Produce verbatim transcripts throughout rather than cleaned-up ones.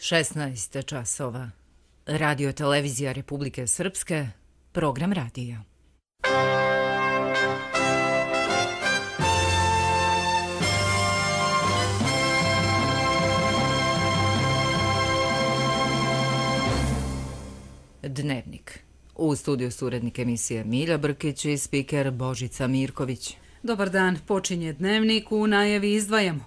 šesnaest časova. Radio televizija Republike Srpske, program radija. Dnevnik. U studiju su urednik emisije Milja Brkić i spiker Božica Mirković. Dobar dan, počinje Dnevnik, u najavi izdvajamo.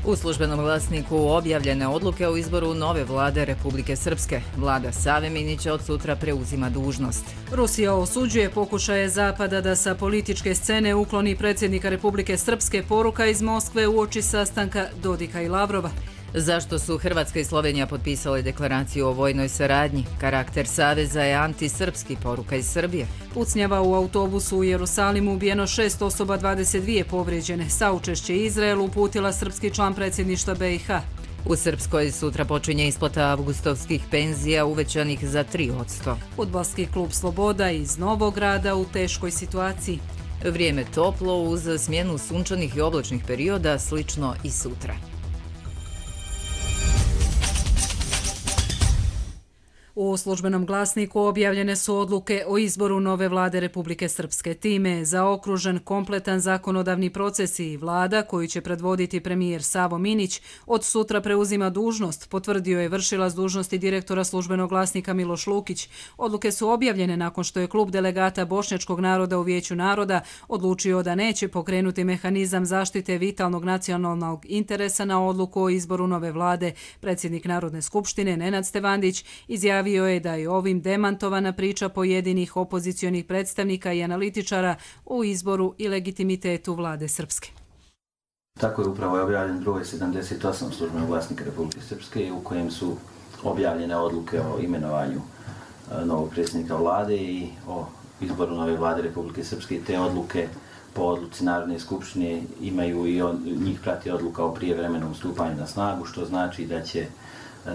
U službenom glasniku objavljene odluke o izboru nove vlade Republike Srpske. Vlada Save Minića od sutra preuzima dužnost. Rusija osuđuje pokušaje Zapada da sa političke scene ukloni predsjednika Republike Srpske. Poruka iz Moskve uoči sastanka Dodika i Lavrova. Zašto su Hrvatska i Slovenija potpisale deklaraciju o vojnoj saradnji? Karakter saveza je antisrpski, poruka iz Srbije. Pucnjava u autobusu u Jerusalimu, ubijeno šest osoba, dvadeset dvije povrijeđene. Saučešće Izraelu uputila srpski član predsjedništva B i H. U Srpskoj sutra počinje isplata avgustovskih penzija uvećanih za tri posto. Fudbalski klub Sloboda iz Novog Grada u teškoj situaciji. Vrijeme toplo uz smjenu sunčanih i oblačnih perioda, slično i sutra. U službenom glasniku objavljene su odluke o izboru nove vlade Republike Srpske. Time je zaokružen kompletan zakonodavni proces i vlada koju će predvoditi premijer Savo Minić od sutra preuzima dužnost, potvrdio je vršilac dužnosti direktora službenog glasnika Miloš Lukić. Odluke su objavljene nakon što je klub delegata bošnjačkog naroda u Vijeću naroda odlučio da neće pokrenuti mehanizam zaštite vitalnog nacionalnog interesa na odluku o izboru nove vlade. Predsjednik Narodne skupštine Nenad Stevandić izjavio Javio je da je ovim demantovana priča pojedinih opozicionih predstavnika i analitičara u izboru i legitimitetu vlade Srpske. Tako je upravo objavljen broj sedamdeset osam službenog glasnika Republike Srpske u kojem su objavljene odluke o imenovanju novog predsjednika vlade i o izboru nove vlade Republike Srpske. Te odluke po odluci Narodne skupštine imaju i on, njih prati odluka o prijevremenom stupanju na snagu, što znači da će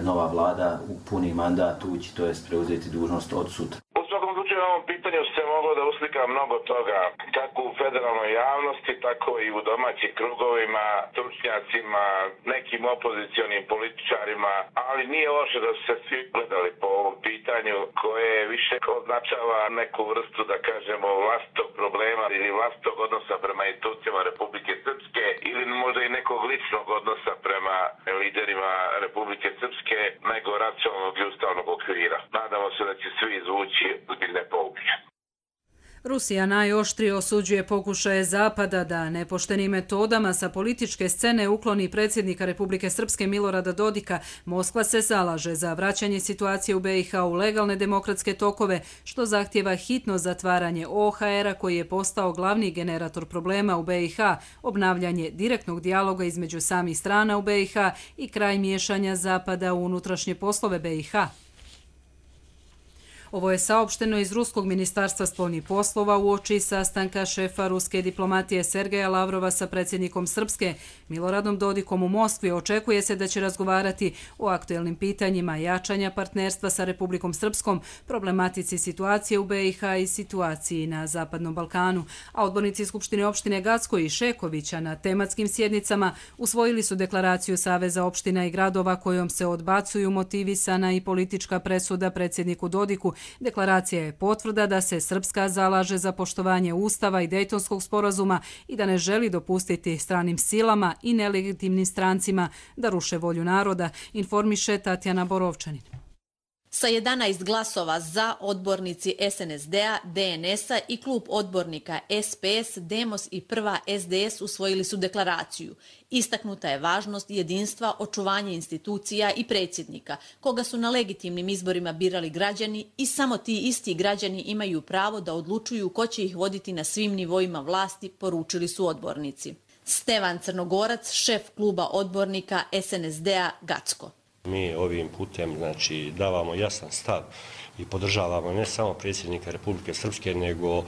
nova vlada u puni mandat ući, to jest preuzeti dužnost od sutra. U svakom slučaju na ovom pitanju se moglo da uslika mnogo toga, kako u federalnoj javnosti, tako i u domaćim krugovima, stručnjacima, nekim opozicionim političarima, ali nije loše da su se svi gledali po ovom pitanju koje više označava neku vrstu, da kažemo, vlastitog problema ili vlastitog odnosa prema institucijama Republike Srpske ili možda i nekog ličnog odnosa prema liderima Republike Srpske nego racionalnog i ustavnog okvira. Nadamo se da će svi izvući ozbiljne pouke. Rusija najoštrije osuđuje pokušaje Zapada da nepoštenim metodama sa političke scene ukloni predsjednika Republike Srpske Milorada Dodika. Moskva se zalaže za vraćanje situacije u B i H u legalne demokratske tokove, što zahtjeva hitno zatvaranje O H R-a koji je postao glavni generator problema u B i H, obnavljanje direktnog dijaloga između samih strana u B i H i kraj miješanja Zapada u unutrašnje poslove B i H. Ovo je saopšteno iz Ruskog ministarstva spoljnih poslova uoči sastanka šefa ruske diplomatije Sergeja Lavrova sa predsjednikom Srpske Miloradom Dodikom u Moskvi. Očekuje se da će razgovarati o aktuelnim pitanjima jačanja partnerstva sa Republikom Srpskom, problematici situacije u B i H i situaciji na Zapadnom Balkanu. A odbornici Skupštine opštine Gacko i Šekovića na tematskim sjednicama usvojili su deklaraciju Saveza opština i gradova kojom se odbacuju motivisana i politička presuda predsjedniku Dodiku. Deklaracija je potvrda da se Srpska zalaže za poštovanje Ustava i Dejtonskog sporazuma i da ne želi dopustiti stranim silama i nelegitimnim strancima da ruše volju naroda, informiše Tatjana Borovčanin. Sa jedanaest glasova za, odbornici S N S D-a, D N S-a i klub odbornika S P S, Demos i Prva S D S usvojili su deklaraciju. Istaknuta je važnost jedinstva, očuvanje institucija i predsjednika, koga su na legitimnim izborima birali građani i samo ti isti građani imaju pravo da odlučuju ko će ih voditi na svim nivoima vlasti, poručili su odbornici. Stevan Crnogorac, šef kluba odbornika S N S D-a Gacko. Mi ovim putem znači, davamo jasan stav i podržavamo ne samo predsjednika Republike Srpske, nego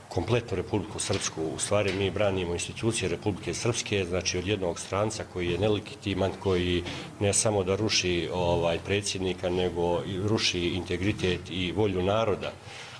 kompletnu Republiku Srpsku. U stvari mi branimo institucije Republike Srpske, znači od jednog stranca koji je nelegitiman, koji ne samo da ruši ovaj, predsjednika, nego i ruši integritet i volju naroda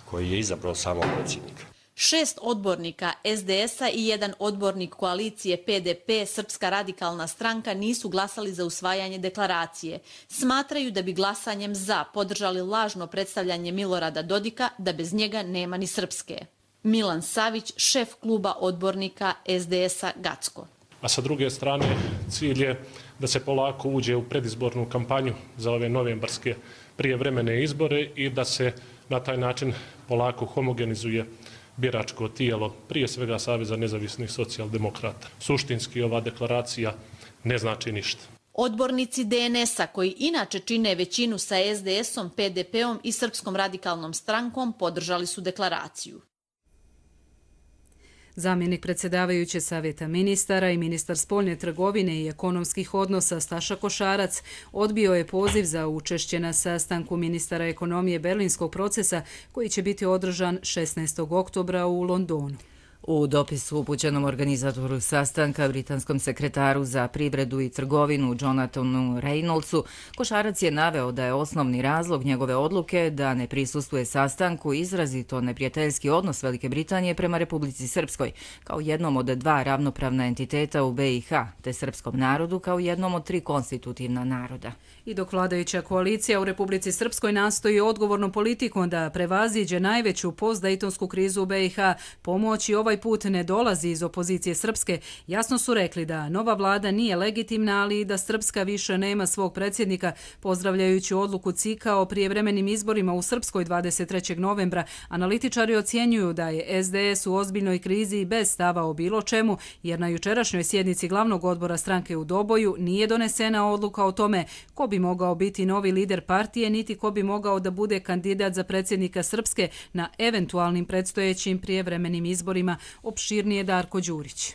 koji je izabrao samog predsjednika. Šest odbornika es de esa i jedan odbornik koalicije pe de pe Srpska radikalna stranka nisu glasali za usvajanje deklaracije. Smatraju da bi glasanjem za podržali lažno predstavljanje Milorada Dodika da bez njega nema ni Srpske. Milan Savić, šef kluba odbornika es de esa Gacko. A sa druge strane cilj je da se polako uđe u predizbornu kampanju za ove novembarske prijevremene izbore i da se na taj način polako homogenizuje biračko tijelo, prije svega Saveza nezavisnih socijaldemokrata. Suštinski ova deklaracija ne znači ništa. Odbornici de en esa, koji inače čine većinu sa es de esom, pe de peom i Srpskom radikalnom strankom, podržali su deklaraciju. Zamjenik predsjedavajuće Savjeta ministara i ministar spoljne trgovine i ekonomskih odnosa Staša Košarac odbio je poziv za učešće na sastanku ministara ekonomije Berlinskog procesa koji će biti održan šesnaestog oktobra u Londonu. U dopisu upućenom organizatoru sastanka, britanskom sekretaru za privredu i trgovinu Jonathanu Reynoldsu, Košarac je naveo da je osnovni razlog njegove odluke da ne prisustvuje sastanku izrazito neprijateljski odnos Velike Britanije prema Republici Srpskoj, kao jednom od dva ravnopravna entiteta u be i ha, te srpskom narodu kao jednom od tri konstitutivna naroda. I dok vladajuća koalicija u Republici Srpskoj nastoji odgovornom politikom da prevaziđe najveću postdejtonsku krizu u be i ha, pomoć i ovaj put ne dolazi iz opozicije Srpske, jasno su rekli da nova vlada nije legitimna, ali i da Srpska više nema svog predsjednika, pozdravljajući odluku C I K A o prijevremenim izborima u Srpskoj dvadeset trećeg novembra. Analitičari ocjenjuju da je es de es u ozbiljnoj krizi i bez stava o bilo čemu, jer na jučerašnjoj sjednici glavnog odbora stranke u Doboju nije donesena odluka o tome ko bi mogao biti novi lider partije, niti ko bi mogao da bude kandidat za predsjednika Srpske na eventualnim predstojećim prijevremenim izborima. Opširnije Darko Đurić.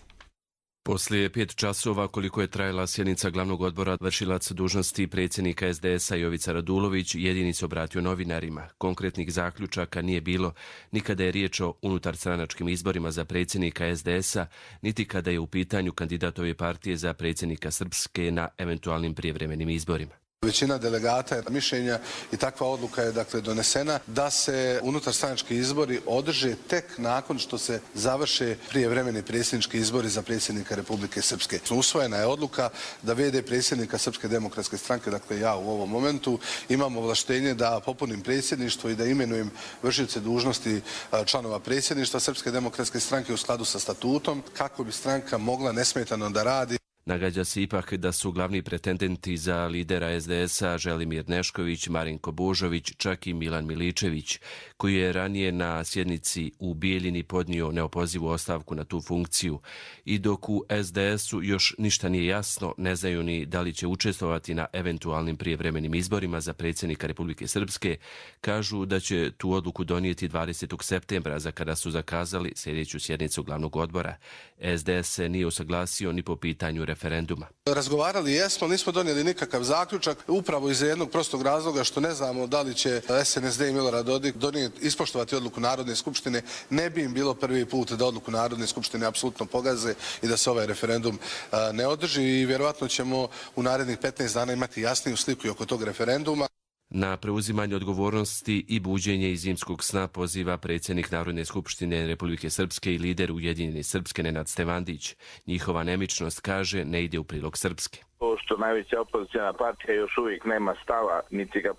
Poslije pet časova koliko je trajala sjednica glavnog odbora, vršilac dužnosti predsjednika es de esa Jovica Radulović jedini se obratio novinarima. Konkretnih zaključaka nije bilo ni kada je riječ o unutarstranačkim izborima za predsjednika es de esa, niti kada je u pitanju kandidatove partije za predsjednika Srpske na eventualnim prijevremenim izborima. Većina delegata je mišljenja i takva odluka je dakle donesena da se unutarstranački izbori održe tek nakon što se završe prijevremeni predsjednički izbori za predsjednika Republike Srpske. Usvojena je odluka da ve de predsjednika Srpske demokratske stranke, dakle ja u ovom momentu, imam ovlaštenje da popunim predsjedništvo i da imenujem vršioce dužnosti članova predsjedništva Srpske demokratske stranke u skladu sa statutom, kako bi stranka mogla nesmetano da radi. Nagađa se ipak da su glavni pretendenti za lidera es de esa Želimir Nešković, Marinko Božović, čak i Milan Miličević, koji je ranije na sjednici u Bijeljini podnio neopozivu ostavku na tu funkciju. I dok u es de esu još ništa nije jasno, ne znaju ni da li će učestvovati na eventualnim prijevremenim izborima za predsjednika Republike Srpske, kažu da će tu odluku donijeti dvadesetog septembra, za kada su zakazali sljedeću sjednicu glavnog odbora. es de es se nije usaglasio ni po pitanju referenduma. Razgovarali jesmo, nismo donijeli nikakav zaključak, upravo iz jednog prostog razloga što ne znamo da li će es en es de i Milorad Dodik donijeti, ispoštovati odluku Narodne skupštine. Ne bi im bilo prvi put da odluku Narodne skupštine apsolutno pogaze i da se ovaj referendum a, ne održi i vjerovatno ćemo u narednih petnaest dana imati jasniju sliku i oko tog referenduma. Na preuzimanje odgovornosti i buđenje iz zimskog sna poziva predsjednik Narodne skupštine Republike Srpske i lider Ujedinjene Srpske Nenad Stevandić. Njihova nemičnost, kaže, ne ide u prilog Srpske. To što najveća opozicijna partija još uvijek nema stava, niti ga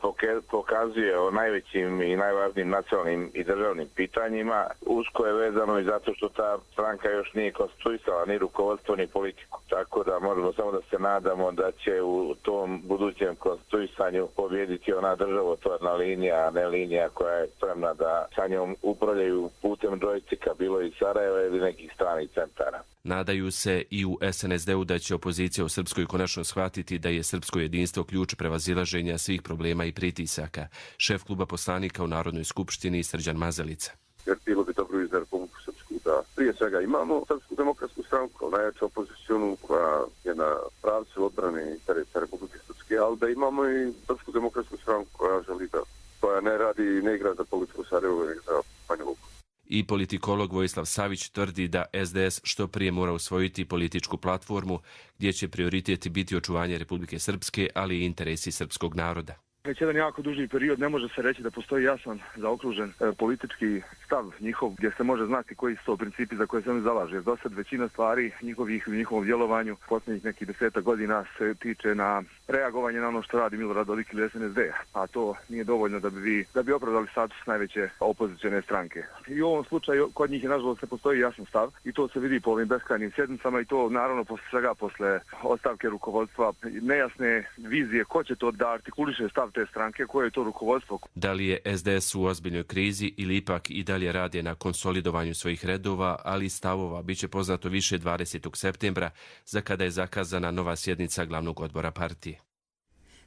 pokazuje o najvećim i najvažnijim nacionalnim i državnim pitanjima, usko je vezano i zato što ta stranka još nije konstituisala ni rukovodstvo ni politiku. Tako da možemo samo da se nadamo da će u tom budućem konstituisanju pobjediti ona državotvorna linija, a ne linija koja je spremna da sa njom upravljaju putem džojstika, bilo iz Sarajeva ili nekih stranih centara. Nadaju se i u es en es de u da će opozicija u Srpskoj konačno shvatiti da je srpsko jedinstvo ključ prevazilaženja svih problema i pritisaka. Šef kluba poslanika u Narodnoj skupštini Srđan Mazalica. Jer bilo bi dobro i za Republiku Srpsku da prije svega imamo Srpsku demokratsku stranku, najjaču opozicionu koja je na pravcu odbrane interesa Republike Srpske, ali da imamo i Srpsku demokratsku stranku koja želi da, koja ne radi i ne igra za politiku Sarajevo, nego za Banja Luku. I politikolog Vojislav Savić tvrdi da es de es što prije mora usvojiti političku platformu gdje će prioriteti biti očuvanje Republike Srpske, ali i interesi srpskog naroda. Već jedan jako duži period ne može se reći da postoji jasan zaokružen e, politički stav njihov gdje se može znati koji su to principi za koje se oni zalaže. Jer do sad većina stvari njihovih, u njihovom djelovanju posljednjih nekih deseta godina se tiče na reagovanje na ono što radi Milorad Dodik ili S N S D, a to nije dovoljno da bi, vi, da bi opravdali status najveće opozicione stranke. I u ovom slučaju kod njih je nažalost ne postoji jasan stav i to se vidi po ovim beskrajnim sjednicama i to naravno posle svega posle ostavke rukovodstva, nejasne vizije ko će to da artikuliše stav te stranke, koje je to rukovodstvo. Da li je S D S u ozbiljnoj krizi ili ipak i dalje rade na konsolidovanju svojih redova, ali i stavova, bit će poznato više dvadesetog septembra, za kada je zakazana nova sjednica glavnog odbora partije.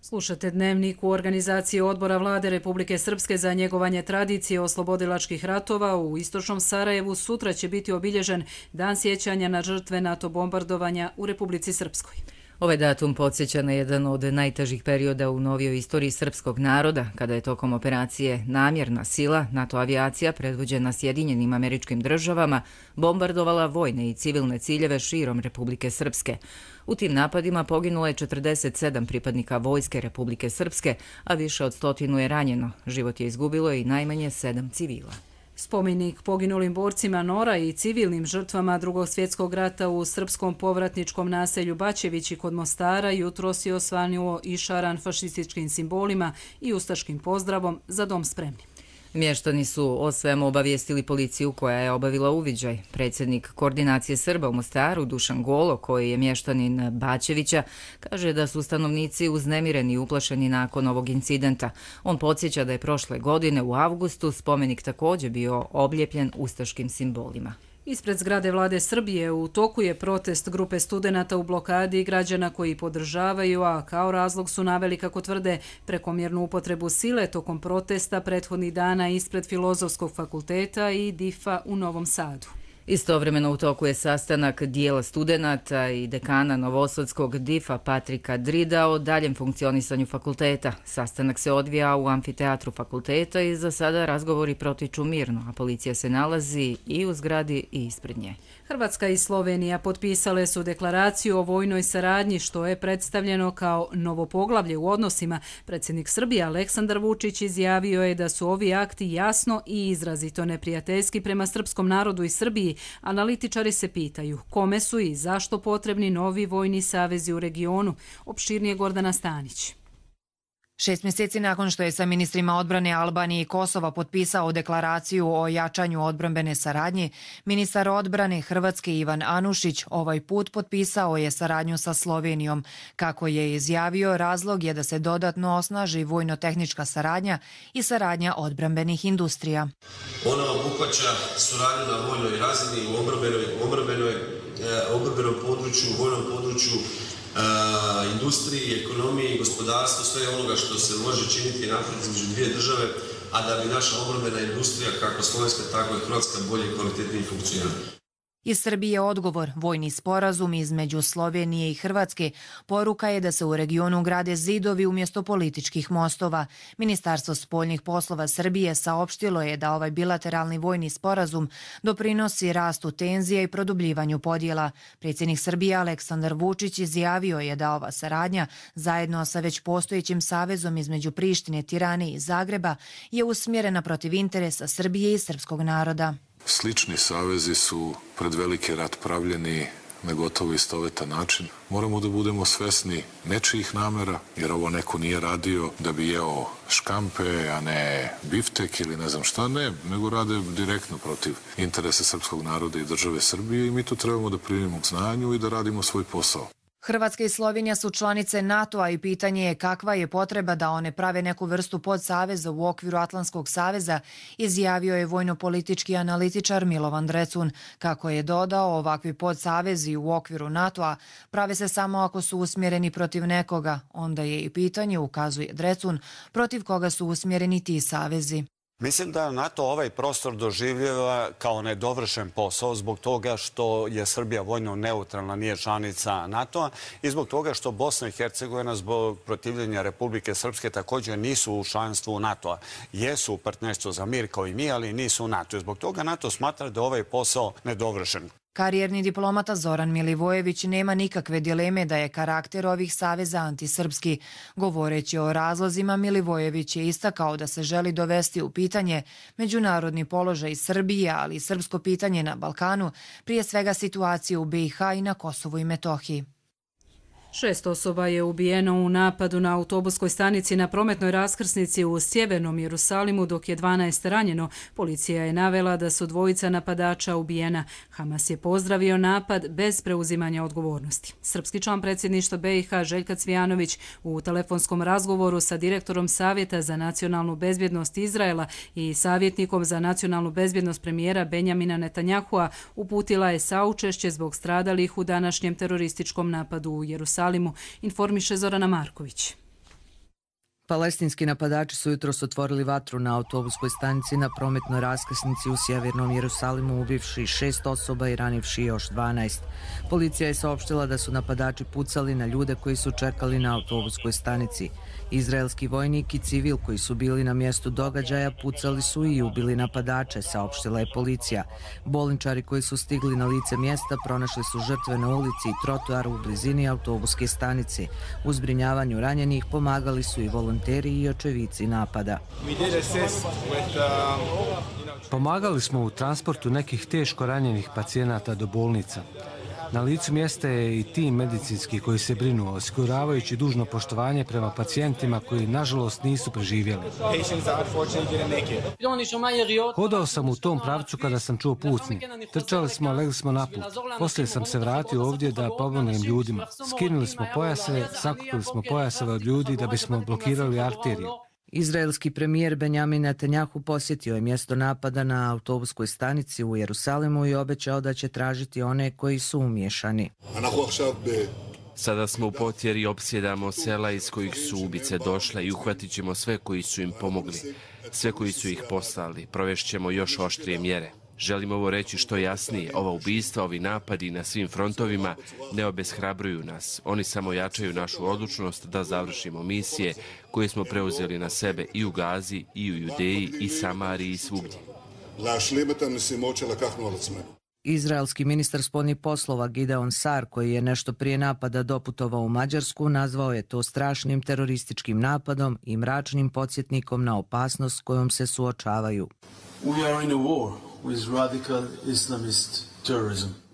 Slušate Dnevnik. U organizaciji Odbora Vlade Republike Srpske za njegovanje tradicije oslobodilačkih ratova u istočnom Sarajevu sutra će biti obilježen Dan sjećanja na žrtve NATO bombardovanja u Republici Srpskoj. Ovaj datum podsjeća na jedan od najtežih perioda u novijoj istoriji srpskog naroda, kada je tokom operacije Namjerna sila NATO avijacija predvođena Sjedinjenim Američkim Državama bombardovala vojne i civilne ciljeve širom Republike Srpske. U tim napadima poginulo je četrdeset sedam pripadnika Vojske Republike Srpske, a više od stotinu je ranjeno. Život je izgubilo i najmanje sedam civila. Spomenik poginulim borcima Nora i civilnim žrtvama Drugog svjetskog rata u srpskom povratničkom naselju Bačevići kod Mostara jutros je osvanuo i šaran fašističkim simbolima i ustaškim pozdravom Za dom spremni. Mještani su o svemu obavijestili policiju koja je obavila uviđaj. Predsjednik Koordinacije Srba u Mostaru, Dušan Golo, koji je mještanin Bačevića, kaže da su stanovnici uznemireni i uplašeni nakon ovog incidenta. On podsjeća da je prošle godine u avgustu spomenik također bio obljepljen ustaškim simbolima. Ispred zgrade Vlade Srbije u toku je protest grupe studenata u blokadi i građana koji podržavaju, a kao razlog su naveli, kako tvrde, prekomjernu upotrebu sile tokom protesta prethodnih dana ispred Filozofskog fakulteta i D I F-a u Novom Sadu. Istovremeno u toku je sastanak dijela studenata i dekana Novosadskog D I F-a Patrika Drida o daljem funkcionisanju fakulteta. Sastanak se odvija u amfiteatru fakulteta i za sada razgovori protiču mirno, a policija se nalazi i u zgradi i ispred nje. Hrvatska i Slovenija potpisale su deklaraciju o vojnoj saradnji, što je predstavljeno kao novo poglavlje u odnosima. Predsjednik Srbije Aleksandar Vučić izjavio je da su ovi akti jasno i izrazito neprijateljski prema srpskom narodu i Srbiji. Analitičari se pitaju kome su i zašto potrebni novi vojni savezi u regionu. Opširnije Gordana Stanić. Šest mjeseci nakon što je sa ministrima odbrane Albanije i Kosova potpisao deklaraciju o jačanju odbrambene saradnje, ministar odbrane Hrvatske Ivan Anušić ovaj put potpisao je saradnju sa Slovenijom. Kako je izjavio, razlog je da se dodatno osnaži vojno-tehnička saradnja i saradnja odbrambenih industrija. Ona obuhvaća suradnju na vojnoj razini u obrambenom području, u vojnom području, Uh, industriji, ekonomiji, gospodarstvu, sve onoga što se može činiti naprijed između dvije države, a da bi naša obrambena industrija, kako slovenska, tako i hrvatska, bolje i kvalitetnije funkcionirala. Iz Srbije odgovor, vojni sporazum između Slovenije i Hrvatske, poruka je da se u regionu grade zidovi umjesto političkih mostova. Ministarstvo spoljnih poslova Srbije saopštilo je da ovaj bilateralni vojni sporazum doprinosi rastu tenzija i produbljivanju podjela. Predsjednik Srbije Aleksandar Vučić izjavio je da ova saradnja, zajedno sa već postojećim savezom između Prištine, Tirane i Zagreba, je usmjerena protiv interesa Srbije i srpskog naroda. Slični savezi su pred veliki rat pravljeni na gotovo istovetan način. Moramo da budemo svesni nečijih namera, jer ovo neko nije radio da bi jeo škampe, a ne biftek ili ne znam šta, ne, nego rade direktno protiv interesa srpskog naroda i države Srbije i mi to trebamo da primimo k znanju i da radimo svoj posao. Hrvatska i Slovenija su članice NATO-a i pitanje je kakva je potreba da one prave neku vrstu podsaveza u okviru Atlantskog saveza, izjavio je vojno-politički analitičar Milovan Drecun. Kako je dodao, ovakvi podsavezi u okviru NATO-a prave se samo ako su usmjereni protiv nekoga. Onda je i pitanje, ukazuje Drecun, protiv koga su usmjereni ti savezi. Mislim da NATO ovaj prostor doživljava kao nedovršen posao zbog toga što je Srbija vojno neutralna, nije članica NATO-a i zbog toga što Bosna i Hercegovina zbog protivljenja Republike Srpske također nisu u članstvu NATO-a. Jesu u partnerstvu za mir kao i mi, ali nisu u NATO. Zbog toga NATO smatra da ovaj posao nedovršen. Karijerni diplomata Zoran Milivojević nema nikakve dileme da je karakter ovih saveza antisrpski. Govoreći o razlozima, Milivojević je istakao da se želi dovesti u pitanje međunarodni položaj Srbije, ali i srpsko pitanje na Balkanu, prije svega situacije u B i H i na Kosovu i Metohiji. Šest osoba je ubijeno u napadu na autobuskoj stanici na prometnoj raskrsnici u sjevernom Jerusalimu, dok je dvanaest ranjeno. Policija je navela da su dvojica napadača ubijena. Hamas je pozdravio napad bez preuzimanja odgovornosti. Srpski član predsjedništva B i H Željka Cvijanović u telefonskom razgovoru sa direktorom Savjeta za nacionalnu bezbjednost Izraela i savjetnikom za nacionalnu bezbjednost premijera Benjamina Netanjahua uputila je saučešće zbog stradalih u današnjem terorističkom napadu u Jerusalimu. Informiše Zorana Marković. Palestinski napadači su jutros otvorili vatru na autobuskoj stanici na prometnoj raskrsnici u sjevernom Jerusalimu, ubivši šest osoba i ranivši još dvanaest. Policija je saopštila da su napadači pucali na ljude koji su čekali na autobuskoj stanici. Izraelski vojnik i civil koji su bili na mjestu događaja pucali su i ubili napadače, saopštila je policija. Bolničari koji su stigli na lice mjesta pronašli su žrtve na ulici i trotoaru u blizini autobuske stanice. U zbrinjavanju ranjenih pomagali su i volonteri i očevici napada. Pomagali smo u transportu nekih teško ranjenih pacijenata do bolnica. Na licu mjesta je i tim medicinski koji se brinu, osiguravajući dužno poštovanje prema pacijentima koji nažalost nisu preživjeli. Hodao sam u tom pravcu kada sam čuo pucnje. Trčali smo, legli smo na put. Poslije sam se vratio ovdje da pomognem ljudima. Skinuli smo pojaseve, sakupili smo pojaseve od ljudi da bismo blokirali arteriju. Izraelski premijer Benjamin Netanjahu posjetio je mjesto napada na autobuskoj stanici u Jerusalimu i obećao da će tražiti one koji su umiješani. Sada smo u potjeri i opsjedamo sela iz kojih su ubice došle i uhvatit ćemo sve koji su im pomogli, sve koji su ih poslali. Provešćemo još oštrije mjere. Želim ovo reći što jasnije. Ova ubistva, ovi napadi na svim frontovima ne obeshrabruju nas. Oni samo jačaju našu odlučnost da završimo misije koje smo preuzeli na sebe i u Gazi, i u Judeji, i Samariji, i svugdje. Izraelski ministar spoljnih poslova Gideon Sar, koji je nešto prije napada doputovao u Mađarsku, nazvao je to strašnim terorističkim napadom i mračnim podsjetnikom na opasnost s kojom se suočavaju.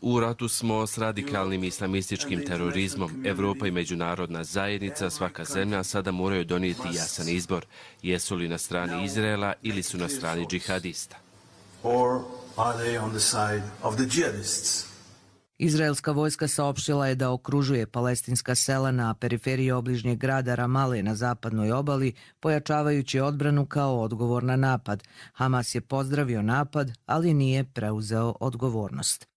U ratu smo s radikalnim islamističkim terorizmom. Evropa i međunarodna zajednica, svaka zemlja sada moraju donijeti jasan izbor. Jesu li na strani Izraela ili su na strani džihadista? Izraelska vojska saopštila je da okružuje palestinska sela na periferiji obližnjeg grada Ramale na zapadnoj obali, pojačavajući odbranu kao odgovor na napad. Hamas je pozdravio napad, ali nije preuzeo odgovornost.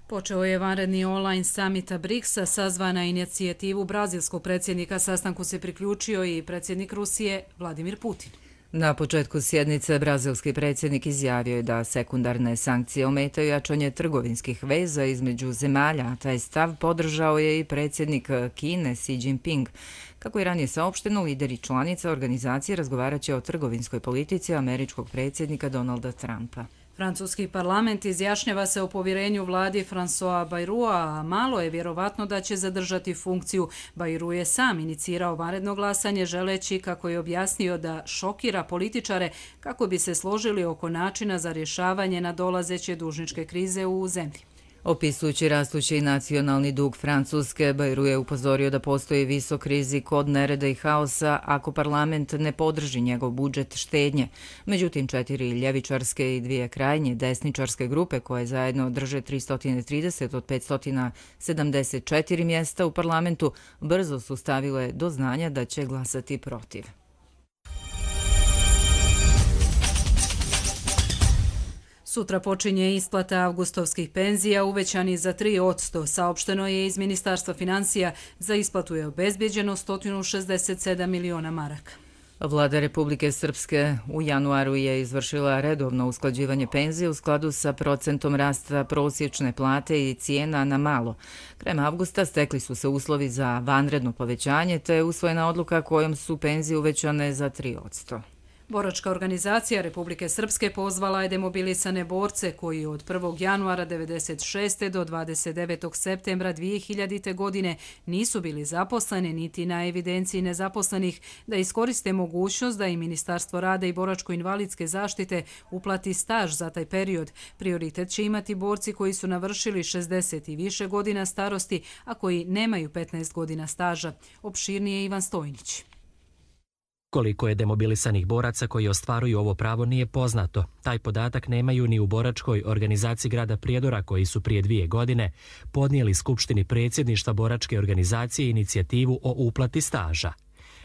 Počeo je vanredni online samita briksa, sazvana inicijativu brazilskog predsjednika. Sastanku se priključio i predsjednik Rusije Vladimir Putin. Na početku sjednice brazilski predsjednik izjavio je da sekundarne sankcije ometaju jačanje trgovinskih veza između zemalja, a taj stav podržao je i predsjednik Kine Xi Jinping. Kako je ranije saopšteno, lideri članica organizacije razgovarat će o trgovinskoj politici američkog predsjednika Donalda Trumpa. Francuski parlament izjašnjava se o povjerenju vladi François Bayroua, a malo je vjerovatno da će zadržati funkciju. Bayrou je sam inicirao vanredno glasanje, želeći, kako je objasnio, da šokira političare kako bi se složili oko načina za rješavanje nadolazeće dužničke krize u zemlji. Opisujući rastući nacionalni dug Francuske, Bayrou je upozorio da postoji visok rizik od nereda i haosa ako parlament ne podrži njegov budžet štednje. Međutim, četiri ljevičarske i dvije krajnje desničarske grupe koje zajedno drže tristo trideset od petsto sedamdeset četiri mjesta u parlamentu brzo su stavile do znanja da će glasati protiv. Sutra počinje isplata avgustovskih penzija uvećani za tri posto. Saopšteno je iz Ministarstva financija. Za isplatu je obezbjeđeno sto šezdeset sedam miliona maraka. Vlada Republike Srpske u januaru je izvršila redovno usklađivanje penzije u skladu sa procentom rasta prosječne plate i cijena na malo. Krajem avgusta stekli su se uslovi za vanredno povećanje, te je usvojena odluka kojom su penzije uvećane za tri posto. Boračka organizacija Republike Srpske pozvala je demobilisane borce koji od prvog januara devedeset šeste do dvadeset devetog septembra dvije hiljadite. godine nisu bili zaposleni niti na evidenciji nezaposlenih da iskoriste mogućnost da i Ministarstvo rada i boračko-invalidske zaštite uplati staž za taj period. Prioritet će imati borci koji su navršili šezdeset i više godina starosti, a koji nemaju petnaest godina staža. Opširnije Ivan Stojnić. Koliko je demobilisanih boraca koji ostvaruju ovo pravo nije poznato. Taj podatak nemaju ni u boračkoj organizaciji grada Prijedora koji su prije dvije godine podnijeli Skupštini predsjedništva boračke organizacije inicijativu o uplati staža.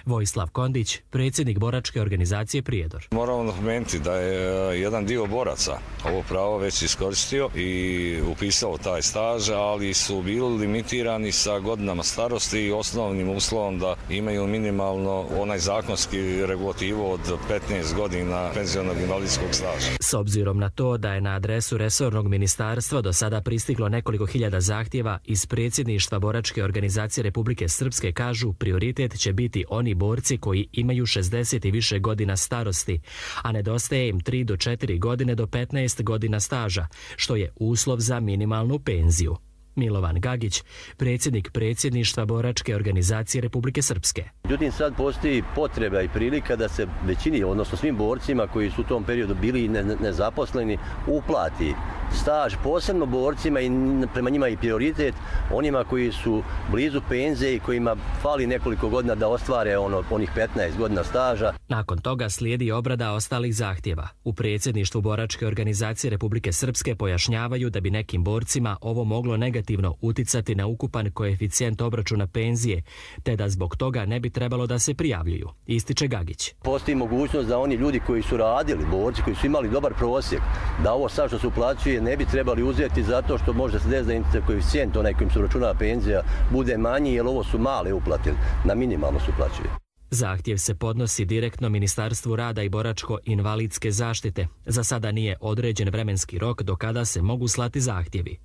Vojislav Kondić, predsjednik boračke organizacije Prijedor. Moramo napomenuti da je jedan dio boraca ovo pravo već iskoristio i upisao taj staž, ali su bili limitirani sa godinama starosti i osnovnim uslovom da imaju minimalno onaj zakonski regulativu od petnaest godina penzionog invalidskog staža. S obzirom na to da je na adresu resornog ministarstva do sada pristiglo nekoliko hiljada zahtjeva, iz predsjedništva boračke organizacije Republike Srpske kažu prioritet će biti oni borci koji imaju šezdeset i više godina starosti, a nedostaje im tri do četiri godine do petnaest godina staža, što je uslov za minimalnu penziju. Milovan Gagić, predsjednik predsjedništva boračke organizacije Republike Srpske. Međutim, sad postoji potreba i prilika da se većini, odnosno svim borcima koji su u tom periodu bili nezaposleni, uplati staž, posebno borcima i prema njima i prioritet onima koji su blizu penzije i kojima fali nekoliko godina da ostvare ono, onih petnaest godina staža. Nakon toga slijedi obrada ostalih zahtjeva. U predsjedništvu boračke organizacije Republike Srpske pojašnjavaju da bi nekim borcima ovo moglo negativno uticati na ukupan koeficijent obračuna penzije, te da zbog toga ne bi trebalo da se prijavljuju, ističe Gagić. Postoji mogućnost da oni ljudi koji su radili, borci koji su imali dobar prosjek, da ovo sad što se uplaćuje ne bi trebali uzeti zato što može se desiti da koeficijent onaj kojim se računa penzija bude manji, jer ovo su male uplate, na minimalno se uplaćuje. Zahtjev se podnosi direktno Ministarstvu rada i boračko-invalidske zaštite. Za sada nije određen vremenski rok do kada se mogu slati zahtjevi.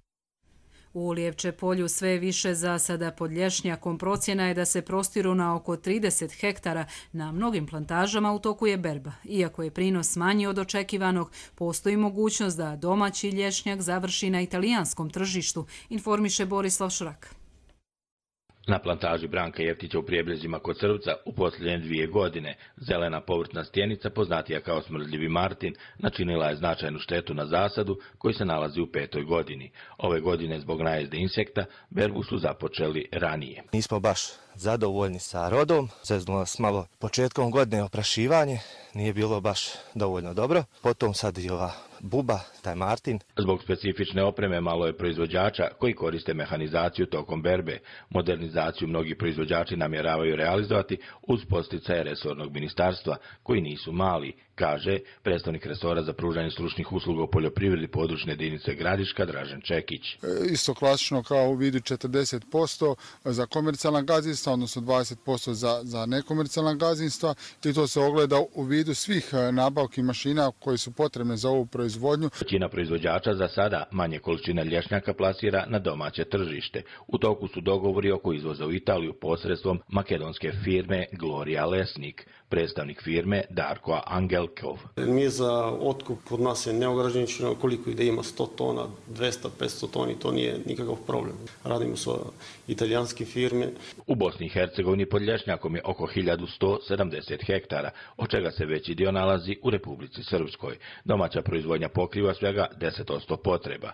U Lijevče polju sve više zasada pod lješnjakom. Procjena je da se prostiru na oko trideset hektara. Na mnogim plantažama u toku je berba. Iako je prinos manji od očekivanog, postoji mogućnost da domaći lješnjak završi na italijanskom tržištu, informiše Borislav Šrak. Na plantaži Branka Jeftića u Prijebrezima kod Crvca u posljednje dvije godine zelena povrtna stjenica, poznatija kao smrdljivi Martin, načinila je značajnu štetu na zasadu koji se nalazi u petoj godini. Ove godine zbog najezde insekta berbu su započeli ranije. Nismo baš zadovoljni sa rodom, zeznulo nas malo početkom godine oprašivanje, nije bilo baš dovoljno dobro. Potom sad i ova buba, taj Martin. Zbog specifične opreme malo je proizvođača koji koriste mehanizaciju tokom berbe. Modernizaciju mnogi proizvođači namjeravaju realizovati uz podsticaje resornog ministarstva, koji nisu mali, kaže predstavnik resora za pružanje stručnih usluga u poljoprivredi područne jedinice Gradiška Dražen Čekić. Isto klasično kao u vidu četrdeset posto za komercijalna gazdinstva, odnosno dvadeset posto za, za nekomercijalna gazdinstva, i to se ogleda u vidu svih nabavki mašina koje su potrebne za ovu proizvodnju. Većina proizvođača za sada manje količine lješnjaka plasira na domaće tržište. U toku su dogovori oko izvoza u Italiju posredstvom makedonske firme Gloria Lesnik. Predstavnik firme Darko Angelkov. Mi za otkup kod nas je neograničeno, koliko ide ima sto tona, dvesta do petsto toni, to nije nikakav problem. Radimo sa italijanske firme. U Bosni i Hercegovini pod lješnjakom je oko hiljadu sto sedamdeset hektara, od čega se veći dio nalazi u Republici Srpskoj. Domaća proizvodnja pokriva svega deset posto potreba.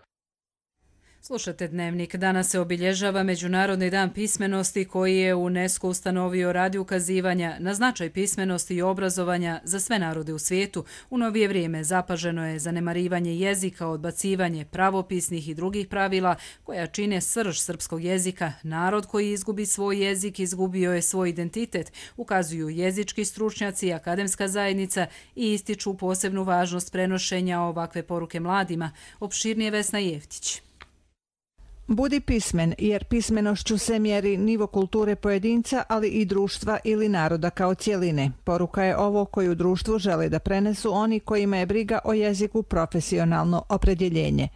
Slušate Dnevnik. Danas se obilježava Međunarodni dan pismenosti koji je UNESCO ustanovio radi ukazivanja na značaj pismenosti i obrazovanja za sve narode u svijetu. U novije vrijeme zapaženo je zanemarivanje jezika, odbacivanje pravopisnih i drugih pravila koja čine srž srpskog jezika. Narod koji izgubi svoj jezik izgubio je svoj identitet, ukazuju jezički stručnjaci i akademska zajednica i ističu posebnu važnost prenošenja ovakve poruke mladima. Opširnije Vesna Jeftić. Budi pismen, jer pismenošću se mjeri nivo kulture pojedinca, ali i društva ili naroda kao cjeline. Poruka je ovo koju društvu žele da prenesu oni kojima je briga o jeziku profesionalno opredjeljenje.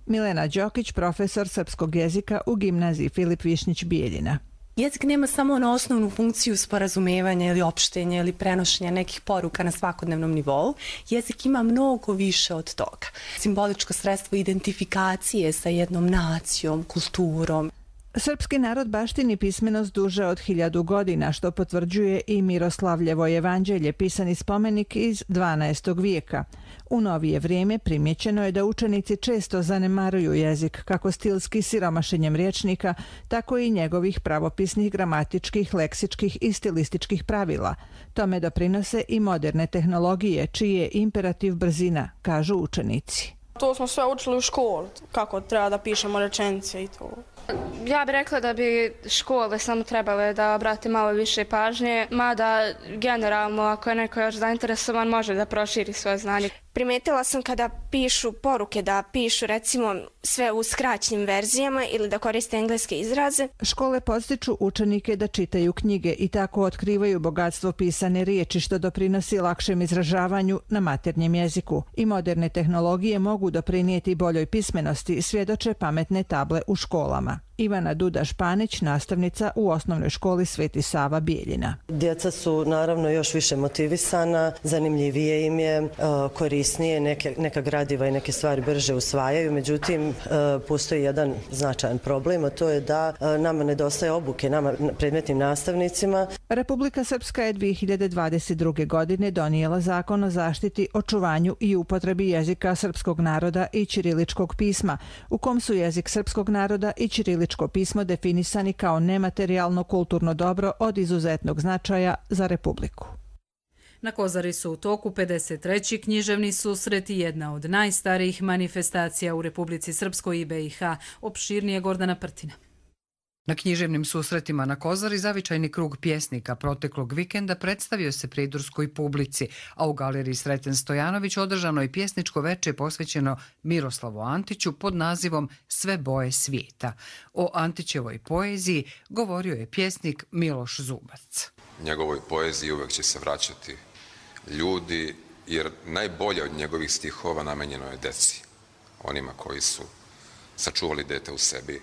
Milena Đokić, profesor srpskog jezika u gimnaziji Filip Višnjić Bijeljina. Jezik nema samo na osnovnu funkciju sporazumevanja ili opštenja ili prenošenja nekih poruka na svakodnevnom nivou. Jezik ima mnogo više od toga. Simboličko sredstvo identifikacije sa jednom nacijom, kulturom. Srpski narod baštini pismenost duže od hiljadu godina, što potvrđuje i Miroslavljevo jevanđelje, pisani spomenik iz dvanaestog vijeka. U novije vrijeme primjećeno je da učenici često zanemaruju jezik, kako stilski siromašenjem rječnika, tako i njegovih pravopisnih, gramatičkih, leksičkih i stilističkih pravila. Tome doprinose i moderne tehnologije, čiji je imperativ brzina, kažu učenici. To smo sve učili u školi, kako treba da pišemo rečenice i to. Ja bih rekla da bi škole samo trebale da obrate malo više pažnje, mada generalno ako je neko još zainteresovan može da proširi svoje znanje. Primetila sam kada pišu poruke da pišu recimo sve u skraćenim verzijama ili da koriste engleske izraze. Škole podstiču učenike da čitaju knjige i tako otkrivaju bogatstvo pisane riječi, što doprinosi lakšem izražavanju na maternjem jeziku. I moderne tehnologije mogu doprinijeti boljoj pismenosti, svjedoče pametne table u školama. Ivana Duda-Španić, nastavnica u osnovnoj školi Sveti Sava Bijeljina. Djeca su naravno još više motivisana, zanimljivije im je, korisnije, neke, neka gradiva i neke stvari brže usvajaju, međutim postoji jedan značajan problem, a to je da nama nedostaje obuke, nama predmetnim nastavnicima. Republika Srpska je dvije hiljade dvadeset druge. godine donijela zakon o zaštiti, očuvanju i upotrebi jezika srpskog naroda i ćiriličkog pisma, u kom su jezik srpskog naroda i ćiriličko pismo definisani kao nematerijalno kulturno dobro od izuzetnog značaja za Republiku. Na Kozari su u toku pedeset treći književni susret i jedna od najstarijih manifestacija u Republici Srpskoj i B i H. Opširnije Gordana Prtina. Na književnim susretima na Kozari zavičajni krug pjesnika proteklog vikenda predstavio se pridurskoj publici, a u galeriji Sreten Stojanović održano je pjesničko veče posvećeno Miroslavu Antiću pod nazivom Sve boje svijeta. O Antićevoj poeziji govorio je pjesnik Miloš Zubac. Njegovoj poeziji uvek će se vraćati ljudi, jer najbolje od njegovih stihova namenjeno je deci, onima koji su sačuvali dete u sebi.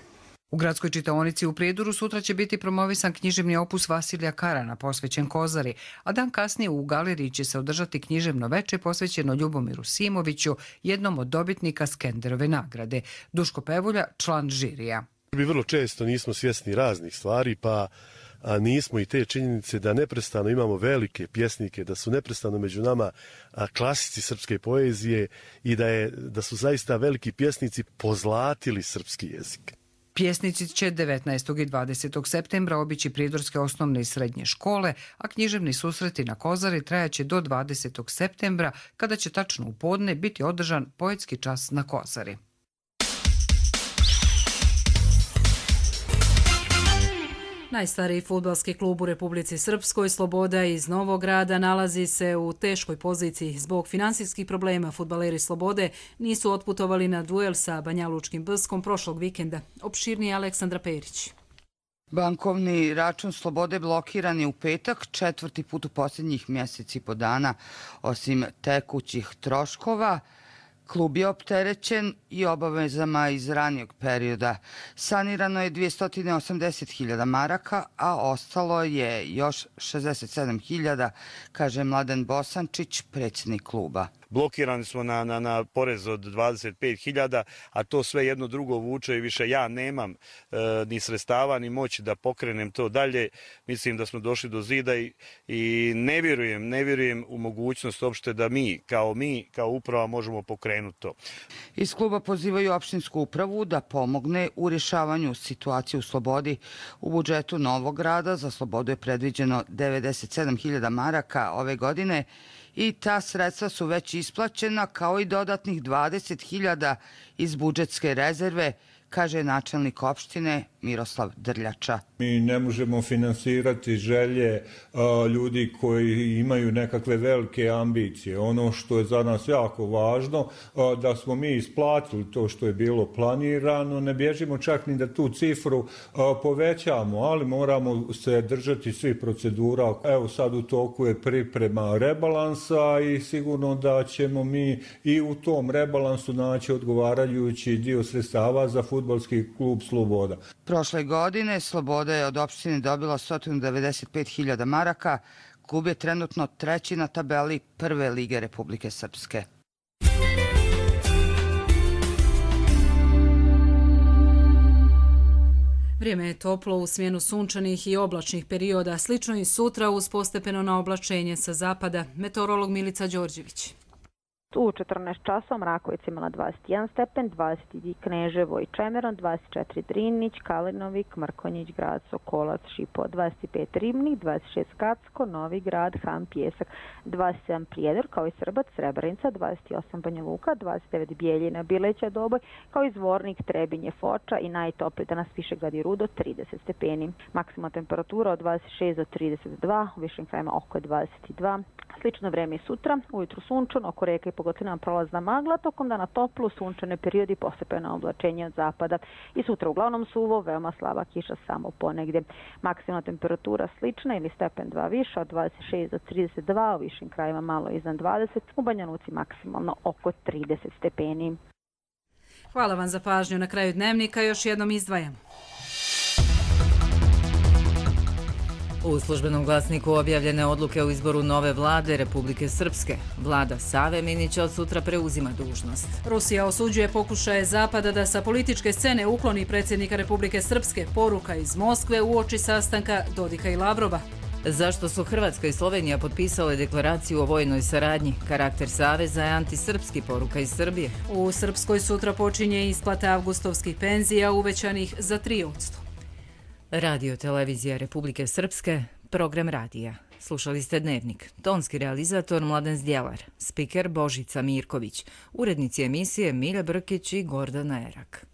U gradskoj čitaonici u Prijedoru sutra će biti promovisan književni opus Vasilija Karana posvećen Kozari, a dan kasnije u galeriji će se održati književno veče posvećeno Ljubomiru Simoviću, jednom od dobitnika Skenderove nagrade. Duško Pevulja, član žirija. Mi vrlo često nismo svjesni raznih stvari, pa a nismo i te činjenice da neprestano imamo velike pjesnike, da su neprestano među nama klasici srpske poezije i da, je, da su zaista veliki pjesnici pozlatili srpski jezik. Pjesnici će devetnaestog i dvadesetog septembra obići pridorske osnovne i srednje škole, a književni susreti na Kozari trajaće do dvadesetog septembra, kada će tačno u podne biti održan poetski čas na Kozari. Najstariji fudbalski klub u Republici Srpskoj, Sloboda iz Novog Grada, nalazi se u teškoj poziciji. Zbog finansijskih problema fudbaleri Slobode nisu otputovali na duel sa Banjalučkim Bskom prošlog vikenda. Opširnije Aleksandra Perić. Bankovni račun Slobode blokiran je u petak, četvrti put u posljednjih mjeseci i po dana. Osim tekućih troškova, klub je opterećen i obavezama iz ranijeg perioda. Sanirano je dvjesto osamdeset hiljada maraka, a ostalo je još šezdeset sedam hiljada, kaže Mladen Bosančić, predsjednik kluba. Blokirani smo na, na, na porez od dvadeset pet hiljada, a to sve jedno drugo vuče i više ja nemam e, ni sredstava ni moći da pokrenem to dalje. Mislim da smo došli do zida i, i ne vjerujem, ne vjerujem u mogućnost uopšte da mi, kao mi, kao uprava možemo pokrenuti to. Iz kluba pozivaju opštinsku upravu da pomogne u rješavanju situacije u Slobodi. U budžetu Novog Grada za Slobodu je predviđeno devedeset sedam hiljada maraka ove godine, i ta sredstva su već isplaćena, kao i dodatnih dvadeset hiljada iz budžetske rezerve, kaže načelnik opštine Miroslav Drljača. Mi ne možemo finansirati želje a, ljudi koji imaju nekakve velike ambicije. Ono što je za nas jako važno, a, da smo mi isplatili to što je bilo planirano, ne bježimo čak ni da tu cifru a, povećamo, ali moramo se držati svih procedura. Evo sad u toku je priprema rebalansa i sigurno da ćemo mi i u tom rebalansu naći odgovarajući dio sredstava za fudbalski fudbalski klub Sloboda. Prošle godine Sloboda je od opštine dobila sto devedeset pet hiljada maraka. Klub je trenutno treći na tabeli Prve lige Republike Srpske. Vrijeme je toplo u smjenu sunčanih i oblačnih perioda, slično i sutra uz postepeno na oblačenje sa zapada. Meteorolog Milica Đorđević. U četrnaest časova Mrakovic imala dvadeset jedan stepen, dvadeset Kneževo i Čemeron, dvadeset četiri Drinić, Kalinovik, Mrkonjić, Grad, Sokolac, Šipo, dvadeset pet Ribnik, dvadeset šest Kacko, Novi Grad, Han, Pjesak, dvadeset sedam Prijedor, kao i Srbac, Srebrenica, dvadeset osam Banja Luka, dvadeset devet Bijeljina, Bileća, Doboj, kao i Zvornik, Trebinje, Foča i najtopliji danas Višegrad i Rudo, trideset stepeni. Maksimalna temperatura od dvadeset šest do trideset dva, u višim krajima oko dvadeset dva. Slično vreme i sutra, ujutru sunčano, oko reka i pogotovo prolazna magla, tokom dana toplu, sunčane periodi, postepeno oblačenje od zapada. I sutra uglavnom suvo, veoma slaba kiša samo ponegdje. Maksimalna temperatura slična ili stepen dva više, od dvadeset šest do trideset dva, u višim krajima malo iznad dvadeset, u Banja Luci maksimalno oko trideset stepeni. Hvala vam za pažnju. Na kraju dnevnika još jednom izdvajamo. U službenom glasniku objavljene odluke o izboru nove vlade Republike Srpske. Vlada Save Minića od sutra preuzima dužnost. Rusija osuđuje pokušaje Zapada da sa političke scene ukloni predsjednika Republike Srpske. Poruka iz Moskve uoči sastanka Dodika i Lavrova. Zašto su Hrvatska i Slovenija potpisale deklaraciju o vojnoj saradnji? Karakter saveza je antisrpski, poruka iz Srbije. U Srpskoj sutra počinje isplata avgustovskih penzija uvećanih za tri posto. Radio televizija Republike Srpske, program radija. Slušali ste Dnevnik. Tonski realizator Mladen Zdjelar, spiker Božica Mirković, urednici emisije Milja Brkić i Gordana Erak.